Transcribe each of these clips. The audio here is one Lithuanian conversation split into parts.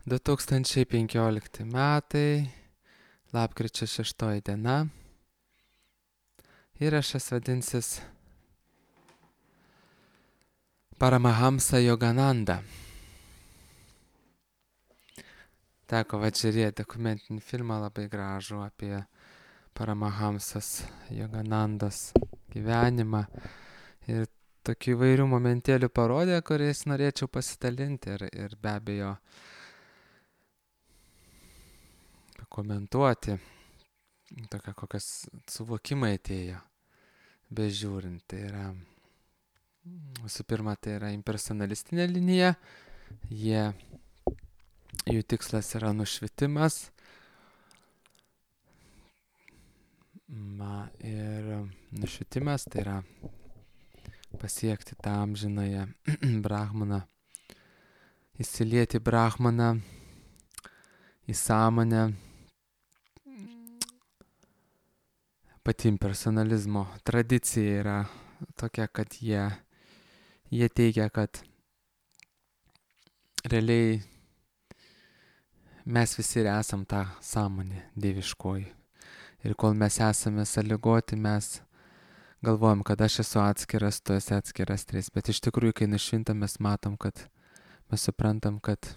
2015 metai, lapkričio 6 diena. Įrašas vadinsis Paramahamsa Yogananda. Teko žiūrėti dokumentinį filmą labai gražų apie Paramahamsas Yoganandos gyvenimą. Ir tokių įvairių momentėlių parodė, kuriais norėčiau pasidalinti ir be abejo komentuoti, tokia kokias suvokimai atėjo, bežiūrint. Tai yra, visų pirma, tai yra impersonalistinė linija, jų tikslas yra nušvitimas. Ir nušvitimas tai yra pasiekti tą amžinąją brahmaną, įsilieti brahmaną į sąmonę. Pati impersonalizmo tradicija yra tokia, kad jie teigia, kad realiai mes visi ir esam tą sąmonę dieviškoji. Ir kol mes esame sąlygoti, mes galvojam, kad aš esu atskiras, tu esi atskiras tris. Bet iš tikrųjų, kai nušvintam, mes matom, kad mes suprantam, kad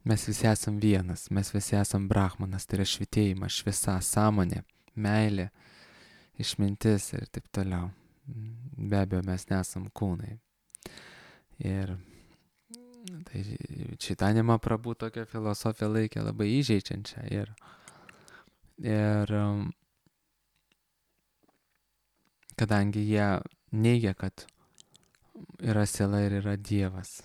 mes visi esam vienas, mes visi esam brahmanas, tai yra švitėjimas, šviesa, sąmonė, meilė, išmintis ir taip toliau. Be abejo, mes nesam kūnai. Ir tai Čaitanija Mahaprabhu tokią filosofiją laikė labai įžeidžiančią. Ir kadangi jie neigia, kad yra siela ir yra Dievas.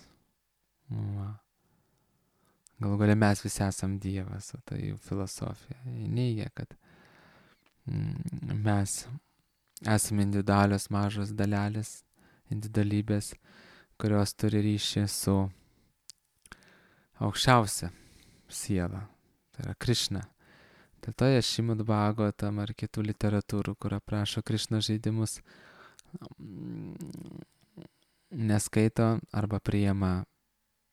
Galų galia mes visi esam Dievas, o tai jų filosofija. Jie neigia, kad mes esame individualios mažos dalelės, individualybės, kurios turi ryšį su aukščiausia siela, tai yra Krišna. Dėl to jie Šrimad Bhagavatam ar kitų literatūrų, kur aprašo Krišnos žaidimus, neskaito arba priima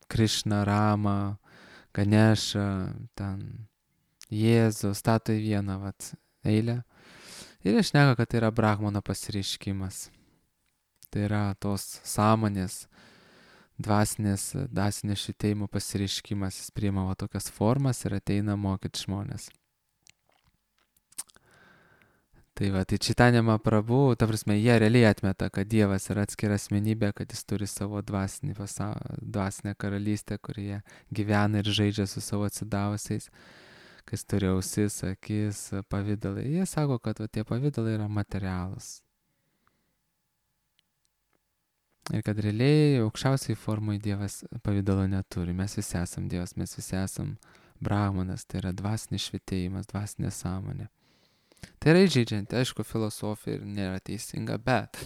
Krišną, Ramą, Ganešą, ten Jėzų, stato į vieną eilę. Ir jie šneka, kad tai yra brahmano pasireiškimas. Tai yra tos sąmonės, dvasinio švitėjimo pasireiškimas. Jis priima tokias formas ir ateina mokyti žmonės. Tai Čaitanija Mahaprabhu, ta prasme, jie realiai atmeta, kad Dievas yra atskira asmenybė, kad jis turi savo dvasinę karalystę, kurioje gyvena ir žaidžia su savo atsidavusiais, kas turi ausis, akis, pavidalai. Jie sako, kad tie pavidalai yra materialūs. Ir kad realiai aukščiausiai formai Dievas pavidalo neturi. Mes visi esam Dievas, mes visi esam brahmanas, tai yra dvasinis švitėjimas, dvasinė sąmonė. Tai yra įžeidžianti, aišku, filosofija ir nėra teisinga, bet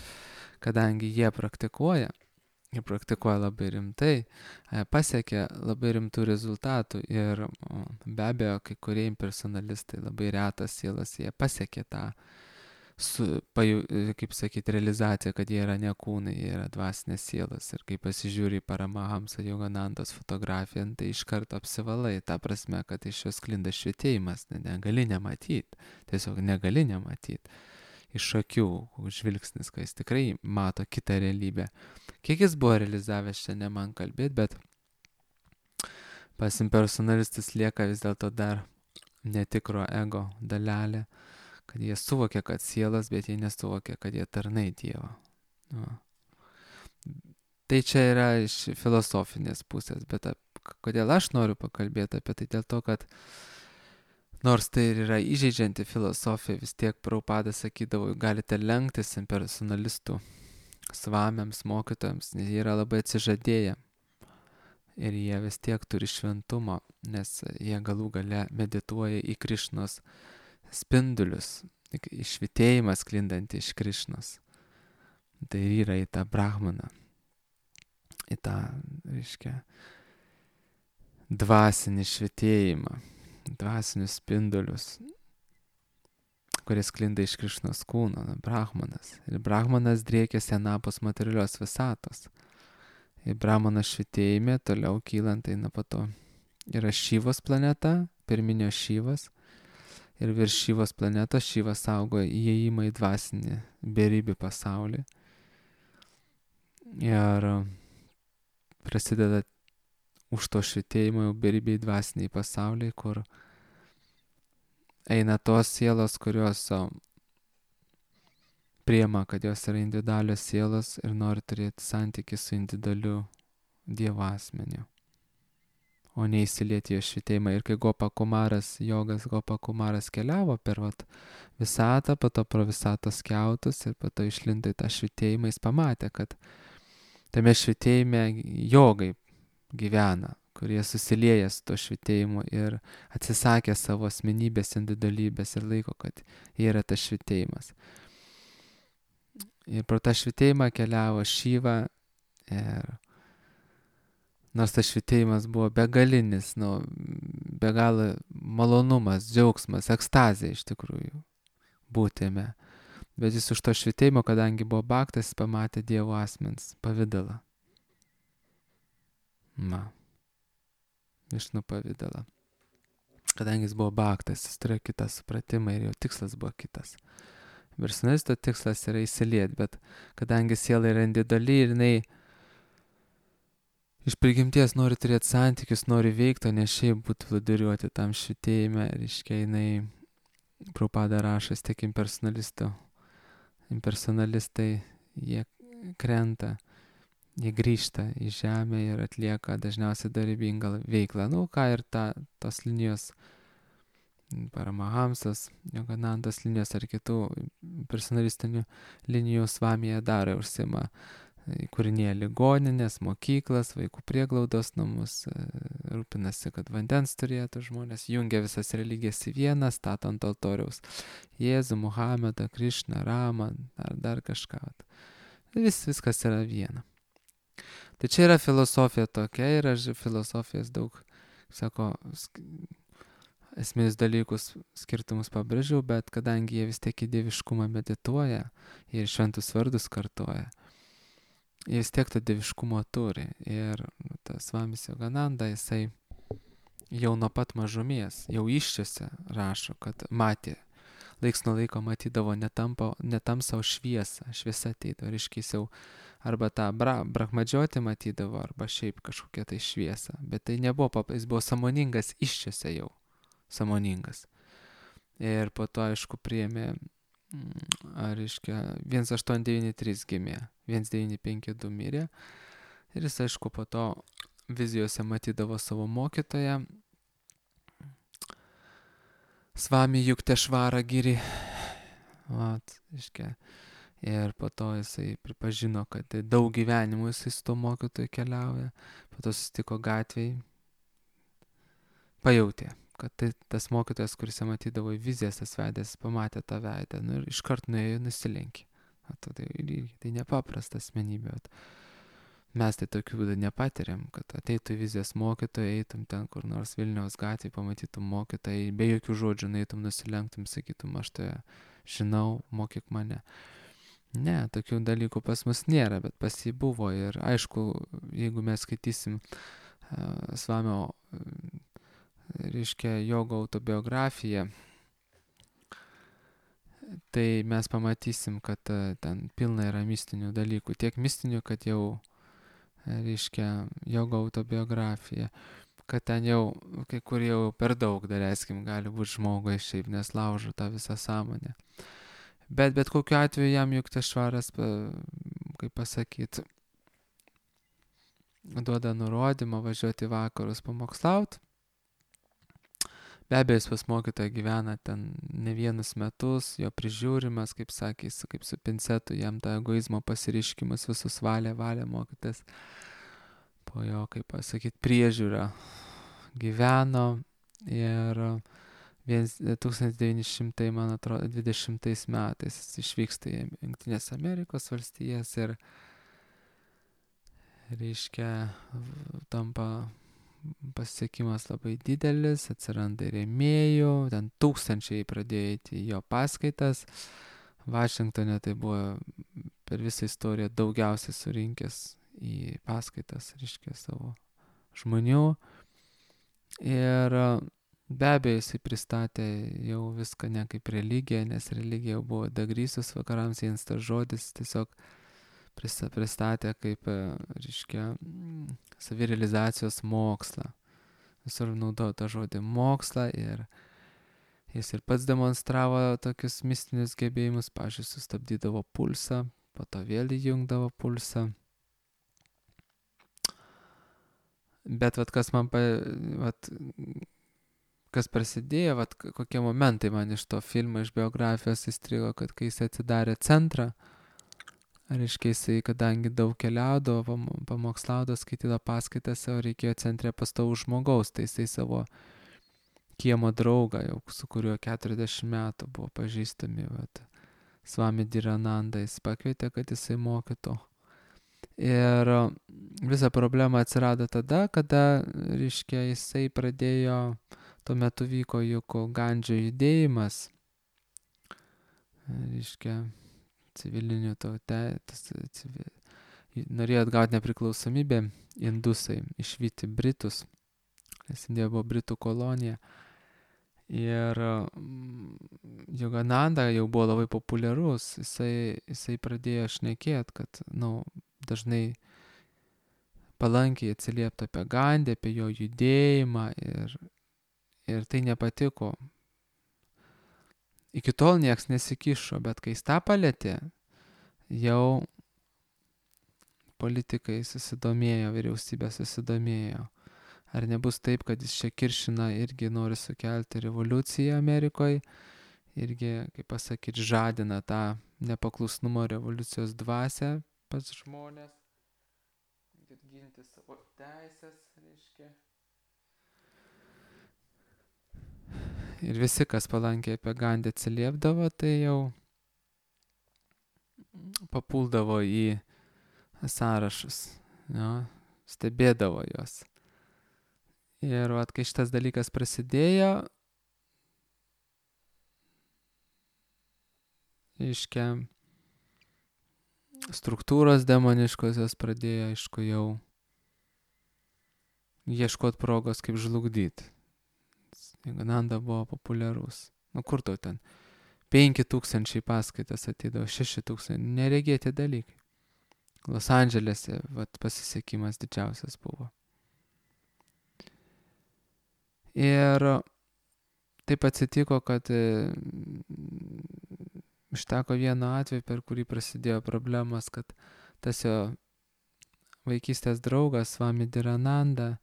kadangi jie praktikuoja labai rimtai, pasiekia labai rimtų rezultatų ir be abejo, kai kurie impersonalistai, labai retas sielas, jie pasiekia tą, kaip sakyti, realizaciją, kad jie yra ne kūnai, jie yra dvasinės sielas. Ir kai pasižiūri į Paramahamsa Yoganandos fotografiją, tai iš karto apsivalai, ta prasme, kad iš jos sklinda švitėjimas, negali nematyti, tiesiog negali nematyti. Iš akių žvilgsnis, kai jis tikrai mato kitą realybę. Kiek jis buvo realizavęs, čia ne man kalbėti, bet pas impersonalistus lieka vis dėlto dar netikro ego dalelė, kad jie suvokia, kad sielas, bet jie nesuvokia, kad jie tarnai Dievo. Tai čia yra iš filosofinės pusės, bet kodėl aš noriu pakalbėti apie tai, dėl to, kad nors tai ir yra įžeidžianti filosofija, vis tiek Prabhupada sakydavo, galite lenktis impersonalistų svamiams, mokytojams, nes jie yra labai atsižadėję. Ir jie vis tiek turi šventumo, nes jie galų gale medituoja į Krišnos spindulius, švitėjimą sklindantį iš Krišnos. Tai yra į tą brahmaną, į tą, reiškia, dvasinį švitėjimą, dvasinius spindulius, kurie sklinda iš Krišnos kūno, brahmanas. Ir brahmanas driekiasi anapus materialios visatos. Ir brahmano švitėjime toliau kylant eina po to yra Šyvos planeta, pirminio Šyvas. Ir virš Šyvos planetos Šyvas saugo įėjimą į dvasinį beribį pasaulį. Ir prasideda už to švitėjimo jau beribiai dvasiniai pasauliai, kur eina tos sielos, kurios priema, kad jos yra individualios sielos ir nori turėti santykį su individualiu Dievo asmeniu, o neįsilieti jo švitėjimą. Ir kai jogas Gopa Kumaras keliavo per visatą, po to pro visatos kiautus ir po to išlindo į tą švitėjimą, jis pamatė, kad tame švitėjime jogai gyvena, kurie susilieja su to švitėjimu ir atsisakė savo asmenybės, individualybės ir laiko, kad jie yra tas švitėjimas. Ir pro tą švitėjimą keliavo Šyva ir nors tas švitėjimas buvo begalinis, be galo malonumas, džiaugsmas, ekstazė iš tikrųjų būtime. Bet jis už to švitėjimo, kadangi buvo baktas, pamatė Dievo asmens pavidalą. Višnų pavidalą. Kadangi jis buvo baktas, jis turėjo kitą supratimą ir jo tikslas buvo kitas. Personalisto tikslas yra įsilieti, bet kadangi siela yra individuali ir jinai iš prigimties nori turėti santykius, nori veikti, o ne šiaip būti plūduriuoti tam švitėjime, reiškia, jinai Prabhupada rašas tiek impersonalistai, jie krenta, jie grįžta į žemę ir atlieka dažniausiai darybingą veiklą. Ką ir tos linijos, Paramahamsas, Yoganandos linijos ar kitų personalistinių linijų Svamija daro, užsima įkūrinėja ligoninės, mokyklas, vaikų prieglaudos namus, rūpinasi, kad vandens turėtų žmonės, jungia visas religijas į vieną, stato ant altoriaus Jėzų, Muhamedą, Krišną, Ramą, ar dar kažką. Viskas yra viena. Tai čia yra filosofija tokia, yra filosofijos daug, sako, esminius dalykus, skirtumus pabrėžiau, bet kadangi jie vis tiek į dieviškumą medituoja ir šventus vardus kartoja, jie vis tiek to dieviškumo turi. Ir tas Svamis Yogananda, jisai jau nuo pat mažumės, jau iščiose rašo, kad matė, laiks nuo laiko matydavo netamsą, o šviesą. Šviesa ateidavo, reiškia, jau arba tą brahmadžiotį matydavo, arba šiaip kažkokią tai šviesą. Bet tai nebuvo, jis buvo sąmoningas iščiose jau. Sąmoningas. Ir po to, aišku, priėmė, reiškia, 1893 gimė, 1952 mirė. Ir jis, aišku, po to vizijose matydavo savo mokytoją, Svami Yuktesvara Giri. Reiškia, ir po to jisai pripažino, kad daug gyvenimų jisai su to mokytoju keliauja. Po to susitiko gatvėj, pajautė, kad tas mokytojas, kuris matydavo į vizijas, tas veidas, pamatė tą veidą, ir iškart nuėjo, nusilenkė. Tai nepaprasta asmenybė. Mes tai tokių būdų nepatiriam, kad ateitų į vizijas mokytojai, eitum ten kur nors Vilniaus gatvėje, pamatytum mokytojai, be jokių žodžių eitum, nusilenktum, sakytum, aš tai žinau, mokyk mane. Ne, tokių dalykų pas mus nėra, bet pas jį buvo. Ir aišku, jeigu mes skaitysim Svamio, reiškia, jogo autobiografiją, tai mes pamatysim, kad ten pilna yra mistinių dalykų. Tiek mistinių, kad jau, reiškia, jogo autobiografija, kad ten jau, kai kur jau per daug, daleiskim, gali būti žmogui šiaip, nes laužo tą visą sąmonę. Bet kokiu atveju jam Yuktesvaras, kaip pasakyti, duoda nurodymą važiuoti į vakarus pamokslauti. Be abejo, jis pas mokytoją gyvena ten ne vienus metus, jo prižiūrimas, kaip sakė, kaip su pincetu, jam tą egoizmo pasiriškimas visus valė mokytas. Po jo, kaip pasakyti, priežiūra gyveno ir 1900, man atrodo, 20 metais jis išvyksta į Jungtinės Amerikos valstijas ir, reiškia, tampa pasiekimas labai didelis, atsiranda rėmėjų, ten tūkstančiai pradėjo eiti į jo paskaitas. Vašingtone tai buvo per visą istoriją daugiausiai surinkęs į paskaitas, reiškia, savo žmonių. Ir be abejo jisai pristatė jau viską ne kaip religiją, nes religija jau buvo dagrysus vakarams, jiems tas žodis tiesiog pristatė kaip, reiškia, savirealizacijos mokslą. Visur naudojo tą žodį mokslą ir jis ir pats demonstravo tokius mistinius gebėjimus, pavyzdžiui, sustabdydavo pulsą, po to vėl įjungdavo pulsą. Bet kas man, kas prasidėjo, kokie momentai man iš to filmo, iš biografijos įstrigo, kad kai jis atsidarė centrą, reiškia jisai, kadangi daug keliaudavo, pamokslaudavo, skaitydavo paskaitas, o reikėjo centre pastovų žmogaus, tai jisai savo kiemo draugą, jau su kuriuo 40 metų buvo pažįstami, Swami Dhirananda, jis pakvietė, kad jisai mokytų. Ir visa problema atsirado tada, kada, reiškia, jisai pradėjo, tuo metu vyko juk Gandžio judėjimas, reiškia, civilinių norėjo atgauti nepriklausomybę indusai, išvyti Britus, nes Indija buvo Britų kolonija. Ir Yogananda jau buvo labai populiarus, jisai pradėjo šnekėti, kad, dažnai palankiai atsiliepti apie Gandį, apie jo judėjimą ir tai nepatiko. Iki tol nieks nesikišo, bet kai jis tą palėtė, jau politikai susidomėjo, vyriausybė susidomėjo. Ar nebus taip, kad jis čia kiršina, irgi nori sukelti revoliuciją Amerikoje, irgi, kaip pasakyti, žadina tą nepaklusnumo revoliucijos dvasią pas žmonės, ginti savo teisės, reiškia. Ir visi, kas palankiai apie Gandį atsiliepdavo, tai jau papuldavo į sąrašus, stebėdavo juos. Ir kai šitas dalykas prasidėjo, reiškia, struktūros demoniškosios pradėjo, aišku, jau ieškoti progos, kaip žlugdyti. Yogananda buvo populiarus. Kur tau ten? 5000 paskaitas atidavo, 6000, neregėti dalykai. Los Andželėse, pasisekimas didžiausias buvo. Ir taip atsitiko, kad užteko vieno atveju, per kurį prasidėjo problemas, kad tas jo vaikystės draugas, Swami Dhirananda,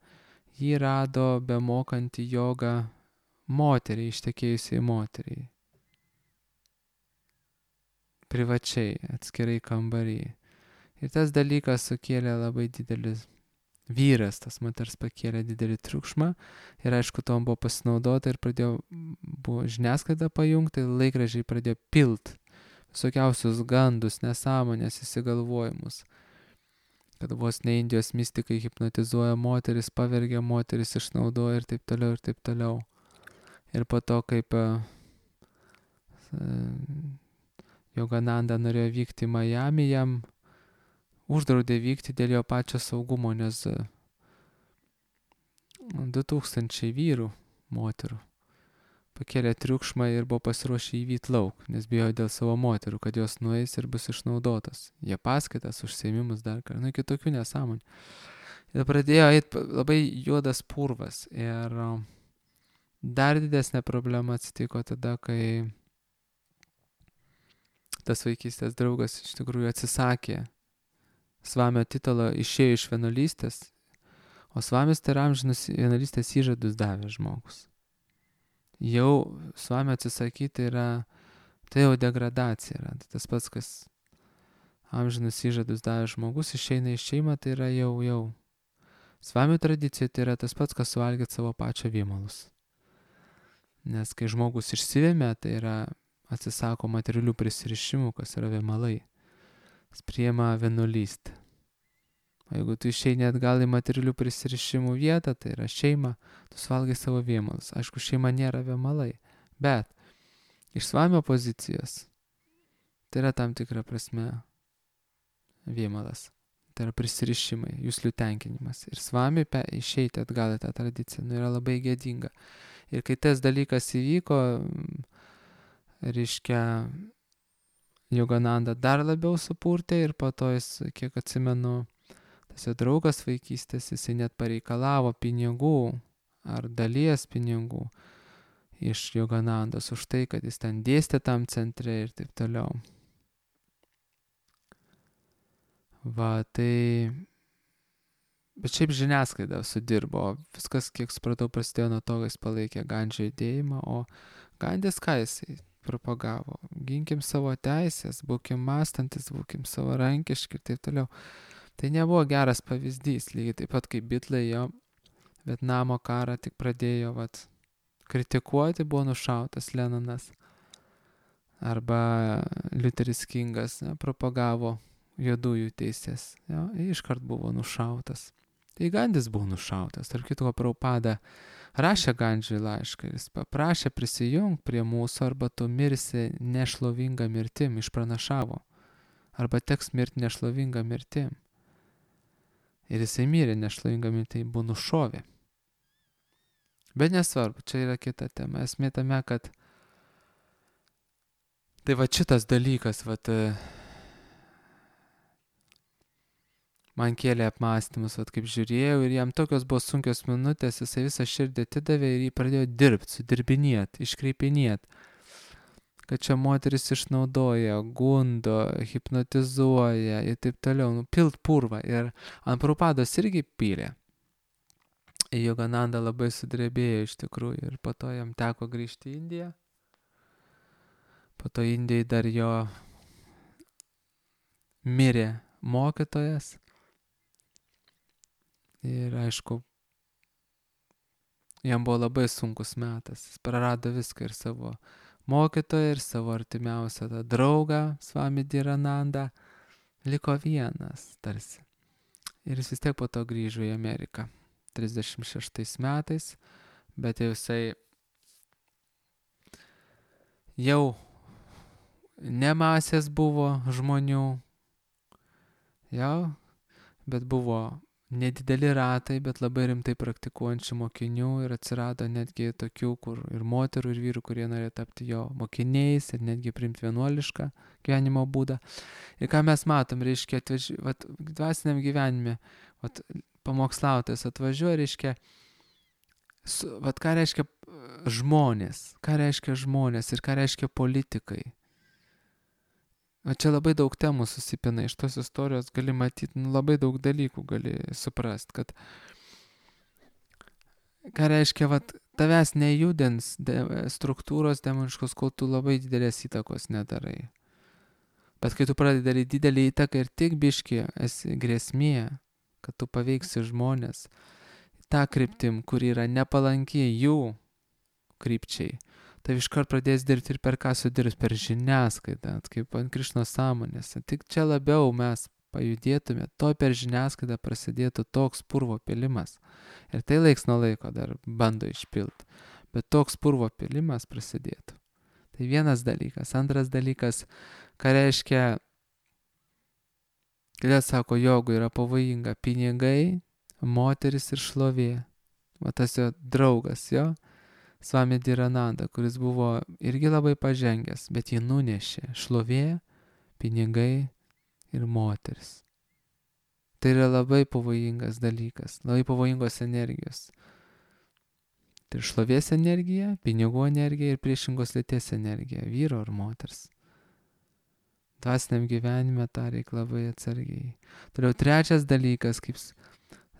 jį rado bemokantį jogą moteriai, ištekėjusiai moteriai. Privačiai, atskirai kambarį. Ir tas dalykas sukėlė labai didelis vyras, tas moters pakėlė didelį triukšmą ir aišku, tom buvo pasinaudota ir buvo žiniasklaida pajungta ir laikraščiai pradėjo pilt visokiausius gandus, nesąmonės, įsigalvojimus, kad vos ne Indijos mistikai hipnotizuoja moteris, pavergia moteris, išnaudoja ir taip toliau, ir taip toliau. Ir po to, kaip Yogananda norėjo vykti į Miami, jam uždraudė vykti dėl jo pačio saugumo, nes 2000 vyrų, moterų pakėlė triukšmą ir buvo pasiruošę įvyti lauk, nes bijojo dėl savo moterų, kad jos nueis ir bus išnaudotas. Jie paskaitas, užsiėmimus dar kartą, kitokių nesąmonių. Ir pradėjo eiti labai juodas purvas. Ir dar didesnė problema atsitiko tada, kai tas vaikystės draugas iš tikrųjų atsisakė Svamio titulo, išėjo iš vienuolystės, o Svamis tai amžinus vienuolystės įžadus davė žmogus. Jau Svamio atsisakyti tai jau degradacija yra. Tai tas pats, kas amžinus įžadus davė žmogus, išeina iš šeimą, tai yra jau. Svamio tradicija tai yra tas pats, kas suvalgyti savo pačio vėmalus. Nes kai žmogus išsivėmė, tai yra atsisako materialių prisirišimų, kas yra vėmalai. Jis priima vienuolystę. O jeigu tu išeini atgal į materialių prisirišimų vietą, tai yra šeima, tu suvalgai savo vėmalus. Aišku, šeima nėra vėmalai, bet iš Svamio pozicijos tai yra tam tikra prasme vėmalas. tai yra prisirišimai, jūslių tenkinimas. Ir svami išeiti atgal į tą tradiciją, yra labai gėdinga. Ir kai tas dalykas įvyko, reiškia, Yogananda dar labiau supurtė ir po to jis, kiek atsimenu, tas jo draugas vaikystės, jisai net pareikalavo pinigų ar dalies pinigų iš Yoganandos už tai, kad jis ten dėstė tam centre ir taip toliau. Va, tai... Bet šiaip žiniasklaida sudirbo, viskas, kiek supratau, prasidėjo nuo to, kad jis palaikė Gandžio judėjimą, o Gandis ką jisai propagavo? Ginkim savo teisės, būkim mąstantis, būkim savarankiški ir taip toliau. Tai nebuvo geras pavyzdys, lygiai taip pat kaip Bitlai jo Vietnamo karą tik pradėjo kritikuoti, buvo nušautas Leninas. Arba Liuteris Kingas propagavo juodųjų teisės, iškart buvo nušautas. Tai Gandis buvo nušautas. Tarp kitko, Prabhupada rašė Gandžiui laišką, jis paprašė prisijungti prie mūsų, arba tu mirsi nešlovingą mirtim, išpranašavo. Arba teks mirti nešlovingą mirtim. Ir jisai mirė nešlovingą mirtim, buvo nušovė. Bet nesvarbu, čia yra kita tema. Esmė tame, kad tai šitas dalykas, man kėlė apmąstymus, kaip žiūrėjau, ir jam tokios buvo sunkios minutės, jisai visą širdį atidavė ir jį pradėjo dirbti, sudirbinėti, iškreipinėti, kad čia moteris išnaudoja, gundo, hipnotizuoja ir taip toliau, pilt purvą. Ir ant Prabhupados irgi pylė. Yogananda labai sudrebėjo iš tikrųjų ir po to jam teko grįžti į Indiją. Po to Indijai dar jo mirė mokytojas. Ir aišku, jam buvo labai sunkus metas. Jis prarado viską, ir savo mokytoją, ir savo artimiausią draugą, Swami Dhiranandą. Liko vienas tarsi. Ir jis vis tiek po to grįžo į Ameriką 36 metais, bet jisai jau ne masės buvo žmonių, bet buvo nedideli ratai, bet labai rimtai praktikuojančių mokinių, ir atsirado netgi tokių, kur ir moterų, ir vyrų, kurie norėjo tapti jo mokiniais ir netgi priimti vienuolišką gyvenimo būdą. Ir ką mes matom, reiškia, dvasiniam gyvenime, pamokslautojas atvažiuoja, reiškia, ką reiškia žmonės ir ką reiškia politikai. Čia labai daug temų susipina, iš tos istorijos gali matyti, labai daug dalykų gali suprast, kad ką reiškia, tavęs nejudins struktūros demoniškos, kol tu labai didelės įtakos nedarai. Bet kai tu pradedi daryti didelį įtaką ir tik biškį esi grėsmė, kad tu paveiksi žmonės tą kryptim, kur yra nepalanki jų krypčiai, tai iškart pradės dirbti ir per ką sudirbs, per žiniasklaidą, kaip ant Krišnos sąmonės. Tik čia labiau mes pajudėtume, to per žiniasklaidą prasidėtų toks purvo pilimas. Ir tai laiks nuo laiko dar bando išpilti, bet toks purvo pilimas prasidėtų. Tai vienas dalykas. Antras dalykas, ką reiškia, kodėl sako, jogų yra pavojinga pinigai, moteris ir šlovė. Tas jo draugas, Swami Dhirananda, kuris buvo irgi labai pažengęs, bet jį nunešė šlovė, pinigai ir moteris. Tai yra labai pavojingas dalykas, labai pavojingos energijos. Tai šlovės energija, pinigų energija ir priešingos lyties energija, vyro ar moters. Dvasiniam gyvenime tą reikia labai atsargiai. Toliau trečias dalykas, kaip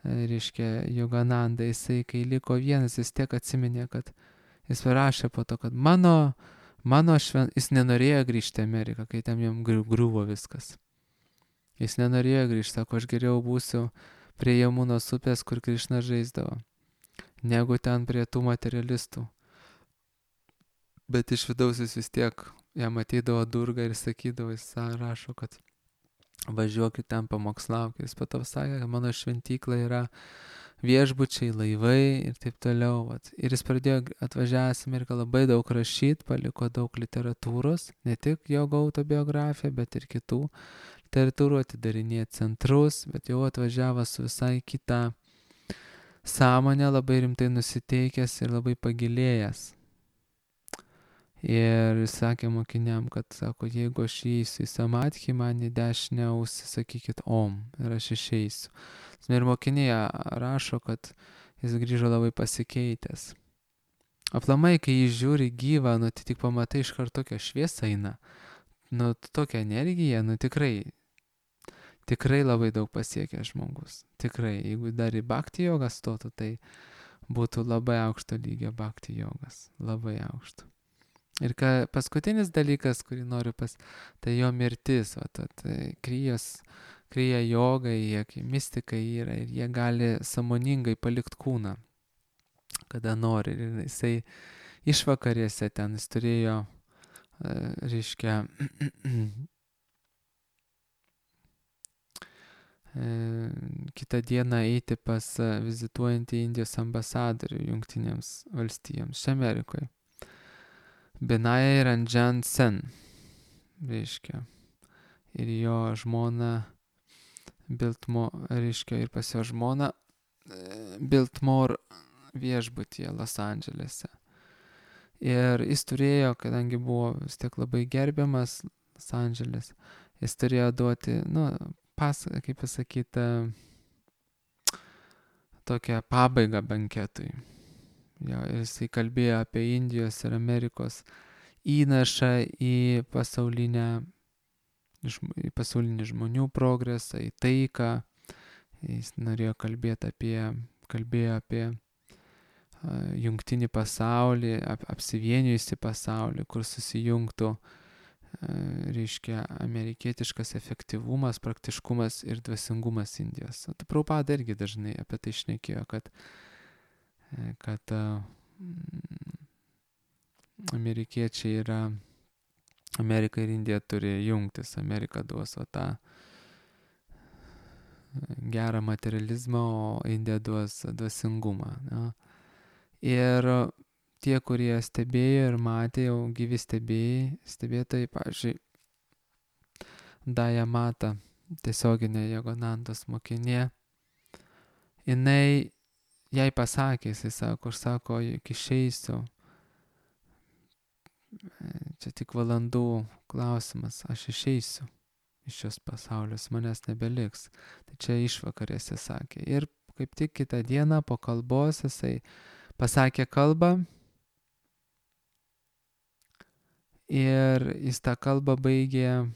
reiškia Yogananda, jisai kai liko vienas, jis tiek atsiminė, kad jis parašė po to, kad jis nenorėjo grįžti į Ameriką, kai ten jam griuvo viskas. Jis nenorėjo grįžti, sako, aš geriau būsiu prie Jamunos upės, kur Krišna žaisdavo, negu ten prie tų materialistų. Bet iš vidaus jis vis tiek jam ateidavo Durga ir sakydavo, jis rašo, kad važiuokit ten pamokslaukit. Jis po to sakė, kad mano šventykla yra viešbučiai, laivai ir taip toliau. Ir jis pradėjo atvažiavęs į Ameriką labai daug rašyti, paliko daug literatūros, ne tik jogo autobiografiją, bet ir kitų literatūrų, atidarinėja centrus, bet jau atvažiavo su visai kita sąmonė, labai rimtai nusiteikęs ir labai pagilėjęs. Ir jis sakė mokiniam, kad, sako, jeigu aš įeisiu į samadhį, man į dešinę ausį sakykit om ir aš išeisiu. Ir mokiniai rašo, kad jis grįžo labai pasikeitęs. Aplamai, kai jis žiūri gyvą, nu tai tik pamatai iš karto tokią šviesą eina. Nu tokia energija, nu tikrai labai daug pasiekia žmogus. Tikrai, jeigu dar į bhakti jogą stotų, tai būtų labai aukšto lygio bhakti jogas. Labai aukšto. Ir paskutinis dalykas, kurį noriu tai jo mirtis. Tai kryja jogai, mistikai yra ir jie gali sąmoningai palikti kūną, kada nori. Ir jisai išvakarėse ten jis turėjo, reiškia, kitą dieną eiti pas vizituojantį Indijos ambasadorių Jungtinėms valstijoms čia Amerikoje. Binay Ranjan Sen, reiškia. Ir jo žmona reiškia, ir pas jo žmona Biltmore viešbutyje Los Andželėse. Ir jis turėjo, kadangi buvo vis tiek labai gerbiamas Los Andželės, jis turėjo duoti, kaip pasakyti, tokią pabaigą banketui. Jo, ir jisai kalbėjo apie Indijos ir Amerikos įnašą į pasaulinį žmonių progresą, į taiką. Jis norėjo kalbėjo apie jungtinį pasaulį, apsivienijusi pasaulį, kur susijungtų, reiškia, amerikietiškas efektyvumas, praktiškumas ir dvasingumas Indijos. Prabhupada irgi dažnai apie tai šnekėjo, kad amerikiečiai Amerika ir Indija turi jungtis. Amerika duos tą gerą materializmą, o Indija duos dvasingumą. Ja. Ir tie, kurie stebėjo ir matė, jau gyvi stebėtojai, pavyzdžiui, Daja Mata, tiesioginė Joganandos mokinė, jai pasakė, jisai sako, aš sako, juk išeisiu, čia tik valandų klausimas, aš išeisiu iš šios pasaulius, manęs nebeliks. Tai čia išvakarėse sakė. Ir kaip tik kitą dieną po kalbos jisai pasakė kalbą ir jis tą kalbą baigė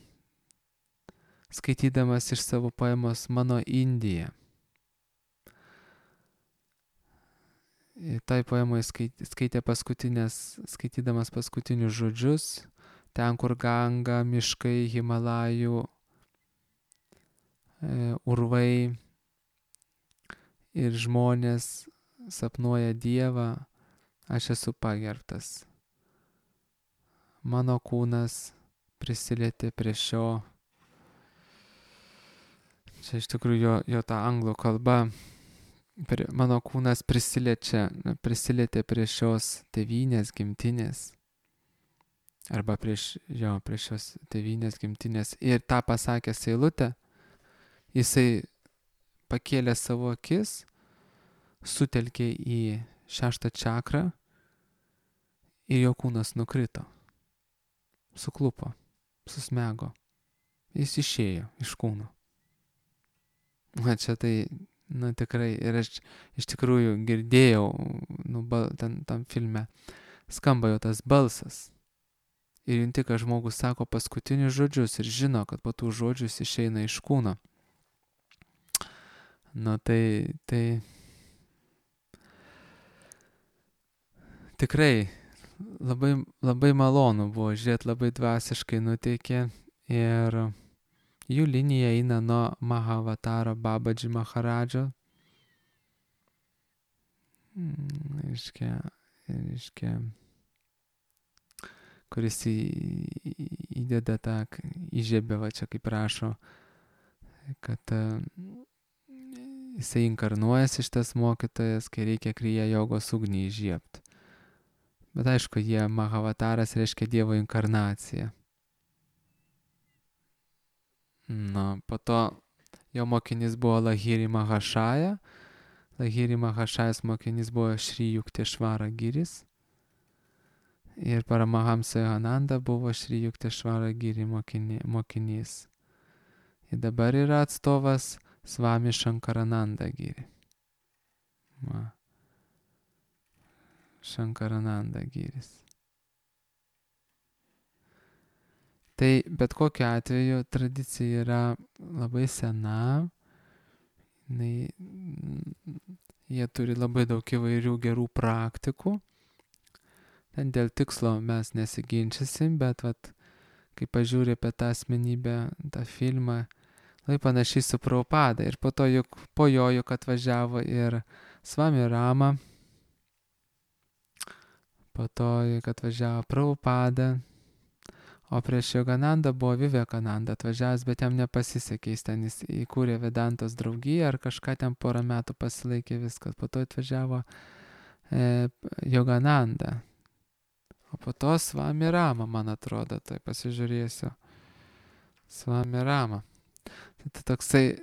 skaitydamas iš savo poemos Mano Indija. Tai poemoje skaitydamas paskutinius žodžius, ten, kur Ganga, miškai, Himalajų, urvai ir žmonės sapnuoja Dievą, aš esu pagerbtas. Mano kūnas prisilietė prie šio. Čia iš tikrųjų jo ta anglų kalba. Mano kūnas prisilietė prie šios tėvynės, gimtinės. Arba prie šios tėvynės, gimtinės. Ir tą pasakęs eilutę, jisai pakėlė savo akis, sutelkė į 6 čakrą ir jo kūnas nukrito. Suklupo, susmego. Jis išėjo iš kūno. Čia tai, tikrai, ir aš iš tikrųjų girdėjau, tam filme, skamba jo tas balsas. Ir junti, kad žmogus sako paskutinius žodžius ir žino, kad po tų žodžių jis išeina iš kūno. Tai tikrai labai, labai malonu buvo žiūrėti, labai dvasiškai nuteikė ir jų linija eina nuo Mahavataro Babadži Maharadžo. Reiškia, kuris įdeda įžiebė, čia kaip rašo, kad jisai inkarnuojasi šitas mokytojas, kai reikia kriya jogos ugnį įžiebti. Bet aišku, Mahavataras reiškia Dievo inkarnaciją. Po to jo mokinys buvo Lahiri Mahashaja. Lahiri Mahashajas mokinys buvo Šri Yuktesvara Giris. Ir Paramahamsa Yogananda buvo Šri Yuktesvara Giri mokinys. Ir dabar yra atstovas Swami Shankarananda Giri. Shankarananda Giris. Tai bet kokiu atveju tradicija yra labai sena. Jie turi labai daug įvairių gerų praktikų. Ten dėl tikslo mes nesiginčysim, bet kai pažiūrė apie tą asmenybę, tą filmą, labai panašiai su Prabhupada. Ir po jo juk atvažiavo ir Swami Rama, po to juk atvažiavo Prabhupada, o prieš Yoganandą buvo Vivekananda atvažiavęs, bet jam nepasisekė, jis įkūrė Vedantos draugiją ar kažką ten porą metų pasilaikė viskas. Po to atvažiavo Yogananda. O po to Swami Rama, man atrodo, tai pasižiūrėsiu. Swami Rama. Tai toksai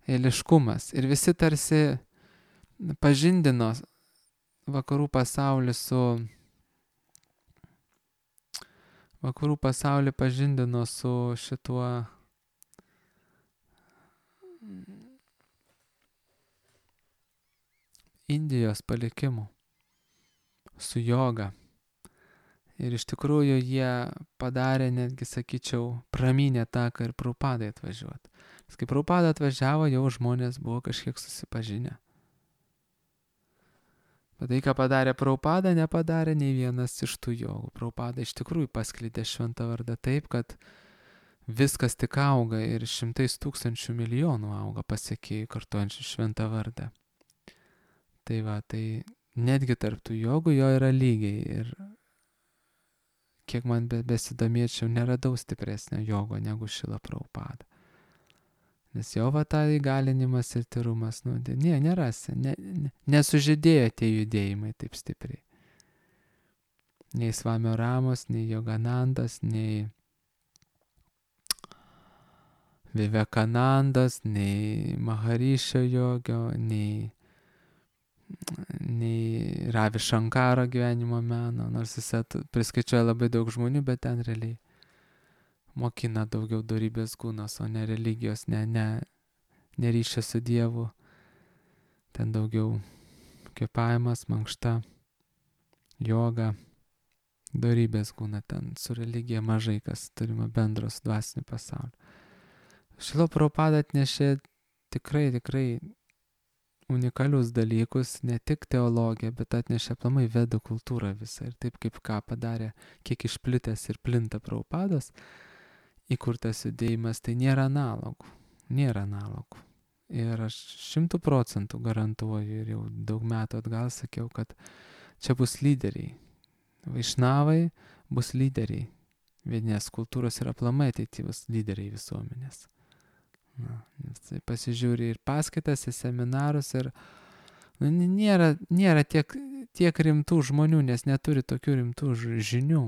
eiliškumas. Ir visi tarsi pažindino vakarų pasaulį su šituo Indijos palikimu, su joga. Ir iš tikrųjų jie padarė, netgi sakyčiau, pramynė taką ir Prabhupadai atvažiuoti. Nes kai Prabhupada atvažiavo, jau žmonės buvo kažkiek susipažinę. Bet tai, ką padarė Prabhupada, nepadarė nei vienas iš tų jogų. Prabhupada iš tikrųjų pasklidė šventą vardą taip, kad viskas tik auga ir 100 000 milijonų auga pasiekėjų kartuojančių šventą vardą. Tai netgi tarp tų jogų jo yra lygiai. Ir kiek man besidomėčiau, neradau stipresnio jogo negu Šrila Prabhupada. Nes jo tą įgalinimas ir tyrumas, nerasi, nesužydėjo tie judėjimai taip stipriai. Nei Swami Ramos, nei Yoganandas, nei Vivekanandas, nei Maharišio jogio, nei Ravi Shankaro gyvenimo meno, nors jis priskaičiuoja labai daug žmonių, bet ten realiai mokina daugiau dorybės gūnos, o ne religijos, ne ryšio su Dievu. Ten daugiau kvėpavimas, mankšta, joga, dorybės gūna. Ten su religija mažai kas turima bendro su dvasiniu pasauliu. Šrila Prabhupada atnešė tikrai unikalius dalykus, ne tik teologiją, bet atnešė aplamai vedų kultūrą visą. Ir taip kaip ką padarė, kiek išplitęs ir plinta Prabhupados įkurtas judėjimas, tai nėra analogų. Ir aš 100% garantuoju, ir jau daug metų atgal sakiau, kad čia bus lyderiai. Vaišnavai bus lyderiai. Vedinės kultūros ir aplamai ateityvus lyderiai visuomenės. Tai pasižiūri ir paskaitas, ir seminarus, ir nėra tiek rimtų žmonių, nes neturi tokių rimtų žinių.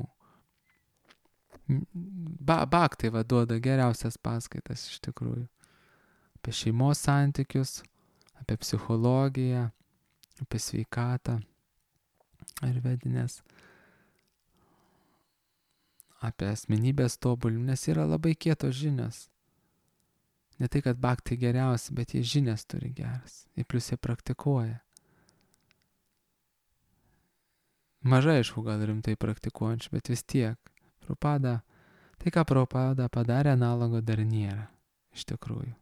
Bhaktai duoda geriausias paskaitas iš tikrųjų. Apie šeimos santykius, apie psichologiją, apie sveikatą ir vedinės. Apie asmenybės tobulinimą, nes yra labai kietos žinios. Ne tai, kad bhaktai geriausi, bet jie žinias turi geras. Ir plius jie praktikuoja. Mažai, aišku, gal rimtai praktikuojančių, bet vis tiek. Tai ką Prabhupada padarė, analogo dar nėra, iš tikrųjų.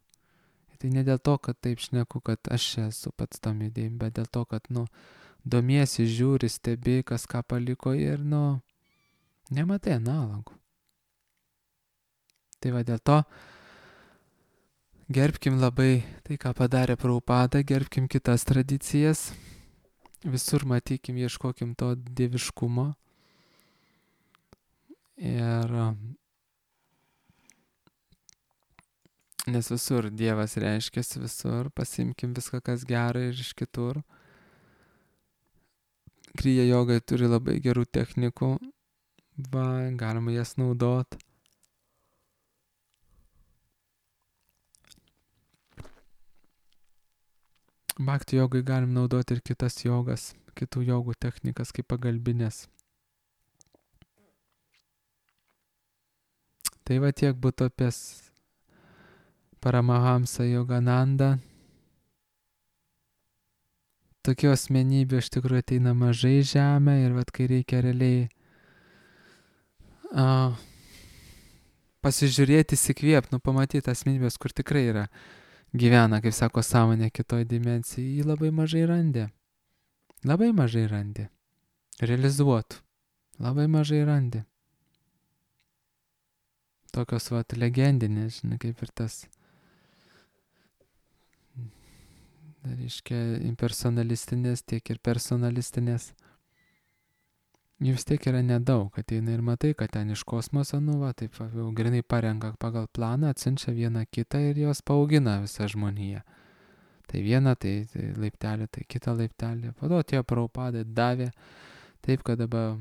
Ir tai ne dėl to, kad taip šneku, kad aš esu pats tam judėjim, bet dėl to, kad, domiesi, žiūri, stebi, kas ką paliko ir, nematai analogų. Tai dėl to gerbkim labai tai, ką padarė Prabhupada, gerbkim kitas tradicijas, visur matykim, ieškokim to dieviškumo. Ir nes visur Dievas reiškiasi, visur pasimkim viską, kas gera ir iš kitur. Kriya jogai turi labai gerų technikų, galima jas naudot. Bhakti jogai galim naudoti ir kitas jogas, kitų jogų technikas kaip pagalbinės. Tai va tiek būtų apie Paramahamsą Yoganandą. Tokių asmenybių iš tikrųjų ateina mažai į žemę ir vat kai reikia realiai pasižiūrėti, įsikvėpti, pamatyti asmenybės, kur tikrai yra gyvena, kaip sako, sąmonė kitoj dimensijai, jį labai mažai randė. Labai mažai randė. Realizuotų. Labai mažai randė. Tokios vat legendinės, žinai, kaip ir tas, reiškia, impersonalistinės, tiek ir personalistinės. Jų vis tiek yra nedaug, ateina ir matai, kad ten iš kosmoso, taip jau grinai parenka pagal planą, atsiunčia vieną kitą ir jos paaugina visą žmoniją. Tai vieną, tai laiptelį, tai kitą laiptelį. Po to tie Prabhupadai davė, taip kad dabar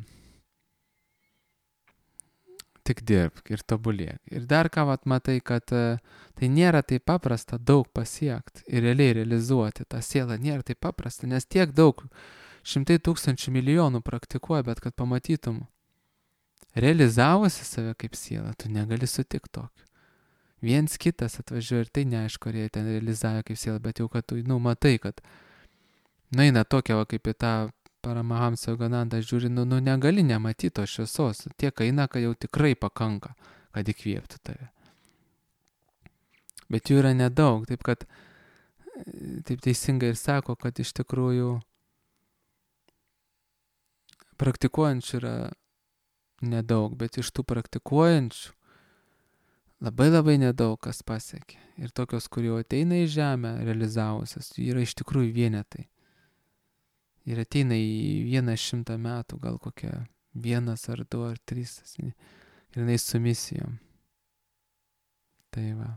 tik dirbk ir tobulėk. Ir dar ką matai, kad tai nėra taip paprasta daug pasiekti ir realiai realizuoti tą sielą, nėra taip paprasta, nes tiek daug, 100 tūkstančių milijonų praktikuoja, bet kad pamatytum, realizavusi save kaip sielą, tu negali sutikti tokiu. Viens kitas atvažiuoja ir tai neaišku, ar jie ten realizavo kaip sielą, bet jau kad tu, matai, kad eina tokia, kaip į tą Paramahamsą Yoganandą žiūri, negali nematyti tos šviesos. Tiek eina, kad jau tikrai pakanka, kad įkvėptų tave. Bet jų yra nedaug, taip kad, taip teisingai ir sako, kad iš tikrųjų praktikuojančių yra nedaug, bet iš tų praktikuojančių labai labai nedaug kas pasiekė. Ir tokios, kur jau ateina į žemę realizavusios, yra iš tikrųjų vienetai. Ir ateina į 100 metų, gal kokia 1 ar 2 ar 3, ir jinai su misijom. Tai va,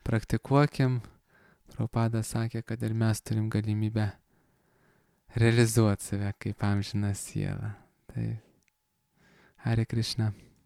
praktikuokim, Prabhupada sakė, kad ir mes turim galimybę realizuoti save kaip amžiną sielą. Tai Hare Krishna.